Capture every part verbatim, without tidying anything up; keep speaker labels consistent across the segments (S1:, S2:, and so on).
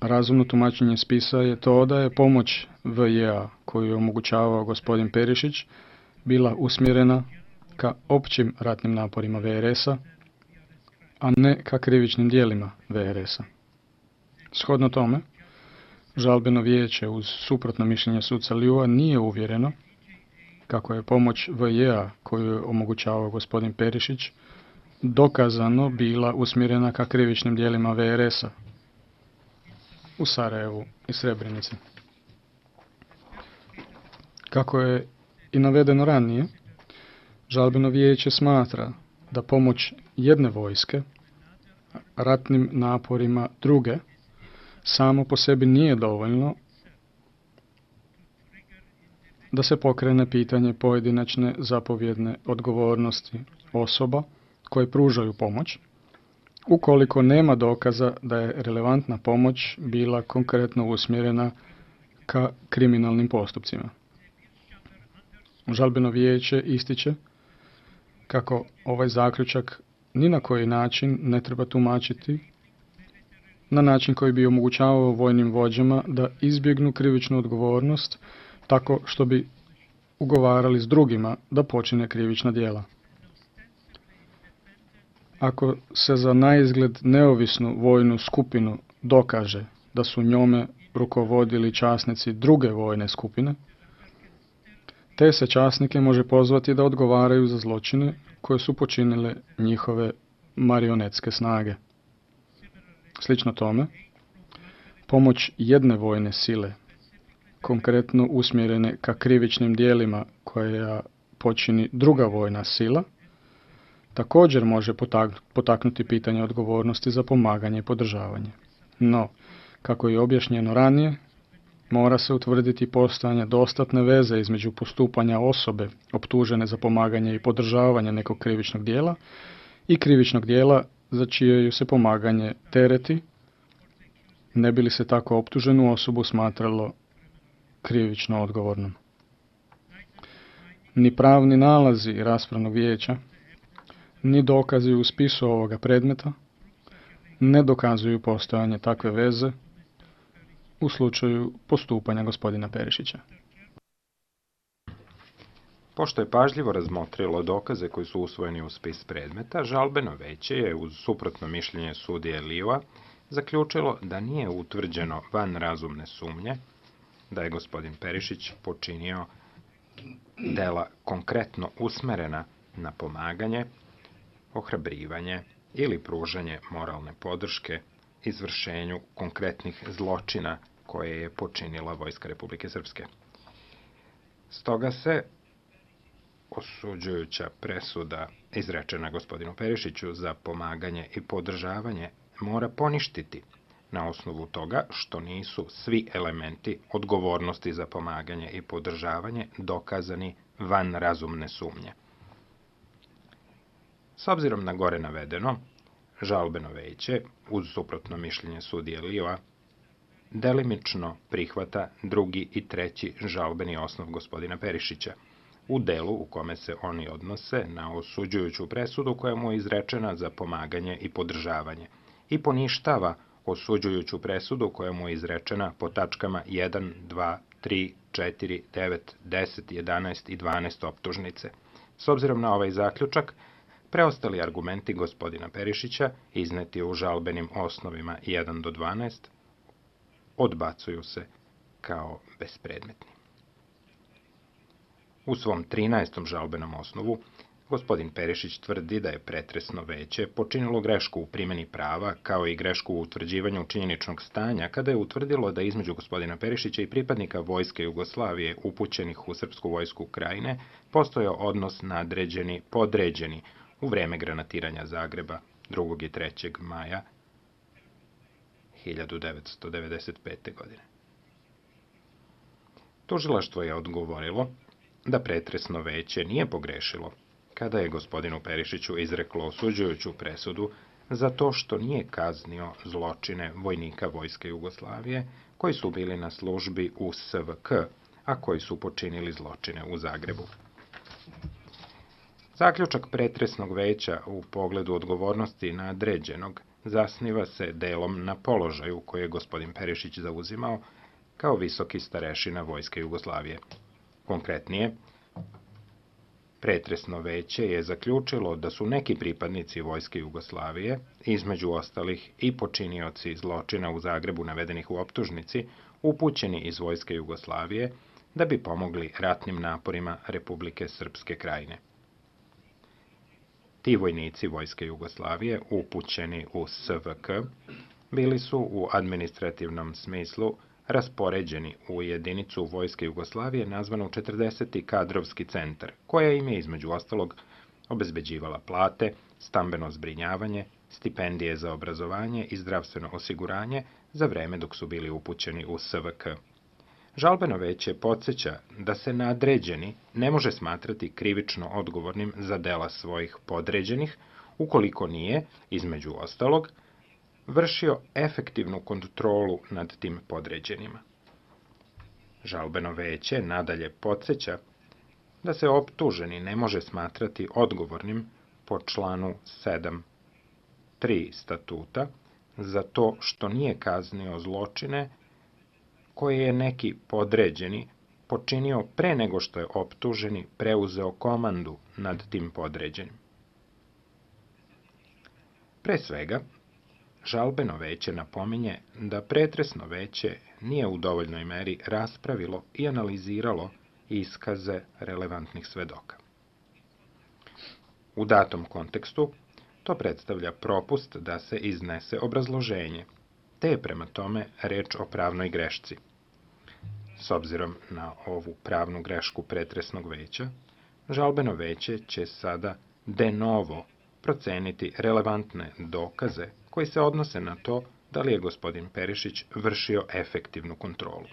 S1: razumno tumačenje spisa je to da je pomoć V J A koju je omogućavao gospodin Perišić bila usmjerena ka općim ratnim naporima V R S-a, a ne ka krivičnim dijelima V R S-a. Shodno tome, žalbeno vijeće uz suprotno mišljenje suca Liua nije uvjereno kako je pomoć V J A koju je omogućavao gospodin Perišić dokazano bila usmjerena ka krivičnim dijelima V R S-a u Sarajevu i Srebrenici. Kako je i navedeno ranije, žalbeno vijeće smatra da pomoć jedne vojske ratnim naporima druge samo po sebi nije dovoljno da se pokrene pitanje pojedinačne zapovjedne odgovornosti osoba koje pružaju pomoć, ukoliko nema dokaza da je relevantna pomoć bila konkretno usmjerena ka kriminalnim postupcima. Žalbeno vijeće ističe kako ovaj zaključak ni na koji način ne treba tumačiti na način koji bi omogućavao vojnim vođama da izbjegnu krivičnu odgovornost tako što bi ugovarali s drugima da počine krivična djela. Ako se za naizgled neovisnu vojnu skupinu dokaže da su njome rukovodili časnici druge vojne skupine, te se časnike može pozvati da odgovaraju za zločine koje su počinile njihove marionetske snage. Slično tome, pomoć jedne vojne sile, konkretno usmjerene ka krivičnim dijelima koja počini druga vojna sila, također može potaknuti pitanje odgovornosti za pomaganje i podržavanje. No, kako je objašnjeno ranije, mora se utvrditi postojanje dostatne veze između postupanja osobe optužene za pomaganje i podržavanje nekog krivičnog dijela i krivičnog dijela za čije ju se pomaganje tereti, ne bi li se tako optuženu osobu smatralo krivično odgovornom. Ni pravni nalazi raspravnog vijeća, ni dokazi u spisu ovoga predmeta ne dokazuju postojanje takve veze u slučaju postupanja gospodina Perišića.
S2: Pošto je pažljivo razmotrilo dokaze koji su usvojeni u spis predmeta, žalbeno veće je, uz suprotno mišljenje sudije Liua, zaključilo da nije utvrđeno van razumne sumnje da je gospodin Perišić počinio dela konkretno usmerena na pomaganje, ohrabrivanje ili pružanje moralne podrške izvršenju konkretnih zločina koje je počinila Vojska Republike Srpske. Stoga se osuđujuća presuda izrečena gospodinu Perišiću za pomaganje i podržavanje mora poništiti na osnovu toga što nisu svi elementi odgovornosti za pomaganje i podržavanje dokazani van razumne sumnje. S obzirom na gore navedeno, žalbeno veće, uz suprotno mišljenje sudije Liua, delimično prihvata drugi i treći žalbeni osnov gospodina Perišića, u delu u kome se oni odnose na osuđujuću presudu koja mu je izrečena za pomaganje i podržavanje i poništava osuđujuću presudu koja mu je izrečena po tačkama jedan, dva, tri, četiri, devet, deset, jedanaest i dvanaest optužnice. S obzirom na ovaj zaključak, preostali argumenti gospodina Perišića, izneti u žalbenim osnovima jedan do dvanaest, odbacuju se kao bespredmetni. U svom trinaestom žalbenom osnovu, gospodin Perišić tvrdi da je pretresno veće počinilo grešku u primjeni prava, kao i grešku u utvrđivanju činjeničnog stanja, kada je utvrdilo da između gospodina Perišića i pripadnika Vojske Jugoslavije upućenih u Srpsku vojsku Krajine postojao odnos nadređeni-podređeni u vreme granatiranja Zagreba drugog i trećeg maja hiljadu devetsto devedeset pete. godine. Tužilaštvo je odgovorilo da pretresno veće nije pogrešilo kada je gospodinu Perišiću izreklo osuđujuću presudu za to što nije kaznio zločine vojnika Vojske Jugoslavije koji su bili na službi u S V K, a koji su počinili zločine u Zagrebu. Zaključak pretresnog veća u pogledu odgovornosti nadređenog zasniva se delom na položaju koje je gospodin Perišić zauzimao kao visoki starešina Vojske Jugoslavije. Konkretnije, pretresno veće je zaključilo da su neki pripadnici Vojske Jugoslavije, između ostalih i počinioci zločina u Zagrebu navedenih u optužnici, upućeni iz Vojske Jugoslavije da bi pomogli ratnim naporima Republike Srpske Krajine. Ti vojnici Vojske Jugoslavije, upućeni u S V K, bili su u administrativnom smislu raspoređeni u jedinicu Vojske Jugoslavije nazvanu četrdeseti kadrovski centar, koja im je između ostalog obezbeđivala plate, stambeno zbrinjavanje, stipendije za obrazovanje i zdravstveno osiguranje za vreme dok su bili upućeni u S V K. Žalbeno veće podsjeća da se nadređeni ne može smatrati krivično odgovornim za dela svojih podređenih, ukoliko nije, između ostalog, vršio efektivnu kontrolu nad tim podređenima. Žalbeno veće nadalje podsjeća da se optuženi ne može smatrati odgovornim po članu sedam tri statuta za to što nije kaznio zločine koje je neki podređeni počinio pre nego što je optuženi preuzeo komandu nad tim podređenim. Pre svega, žalbeno veće napominje da pretresno veće nije u dovoljnoj meri raspravilo i analiziralo iskaze relevantnih svedoka. U datom kontekstu, to predstavlja propust da se iznese obrazloženje, te je prema tome reč o pravnoj grešci. S obzirom na ovu pravnu grešku pretresnog veća, žalbeno veće će sada de novo proceniti relevantne dokaze koji se odnose na to da li je gospodin Perišić vršio efektivnu kontrolu.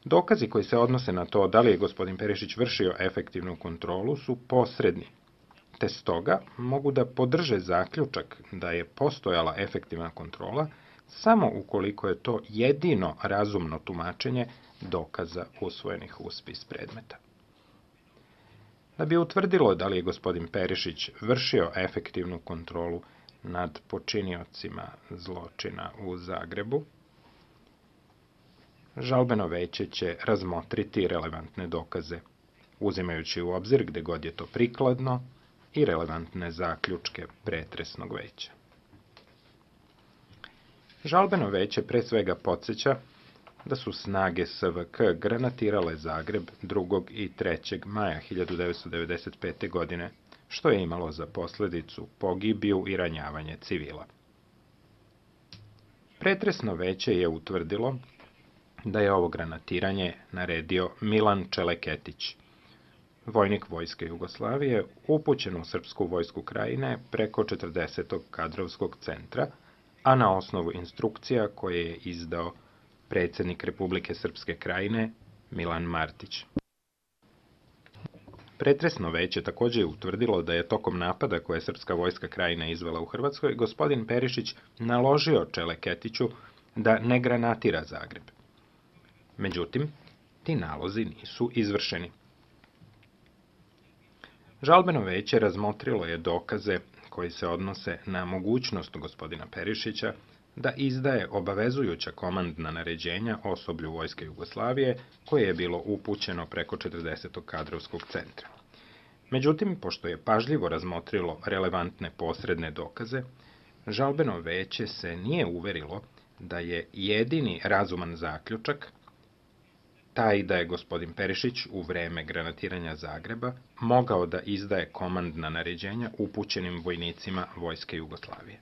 S2: Dokazi koji se odnose na to da li je gospodin Perišić vršio efektivnu kontrolu su posredni, te stoga mogu da podrže zaključak da je postojala efektivna kontrola samo ukoliko je to jedino razumno tumačenje dokaza usvojenih u spis predmeta. Da bi utvrdilo da li je gospodin Perišić vršio efektivnu kontrolu nad počiniocima zločina u Zagrebu, žalbeno veće će razmotriti relevantne dokaze, uzimajući u obzir gde god je to prikladno i relevantne zaključke pretresnog veća. Žalbeno veće pre svega podsjeća da su snage S V K granatirale Zagreb drugog i trećeg maja hiljadu devetsto devedeset pete. godine, što je imalo za posledicu pogibiju i ranjavanje civila. Pretresno veće je utvrdilo da je ovo granatiranje naredio Milan Čeleketić, vojnik Vojske Jugoslavije, upućen u Srpsku vojsku Krajine preko četrdesetog kadrovskog centra, a na osnovu instrukcija koje je izdao predsjednik Republike Srpske Krajine Milan Martić. Pretresno veće također je utvrdilo da je tokom napada koje je Srpska vojska Krajine izvela u Hrvatskoj, gospodin Perišić naložio Čeleketiću da ne granatira Zagreb. Međutim, ti nalozi nisu izvršeni. Žalbeno veće razmotrilo je dokaze koji se odnose na mogućnost gospodina Perišića da izdaje obavezujuća komandna naređenja osoblju Vojske Jugoslavije koje je bilo upućeno preko četrdesetog kadrovskog centra. Međutim, pošto je pažljivo razmotrilo relevantne posredne dokaze, žalbeno veće se nije uverilo da je jedini razuman zaključak taj da je gospodin Perišić u vreme granatiranja Zagreba mogao da izdaje komandna naređenja upućenim vojnicima Vojske Jugoslavije.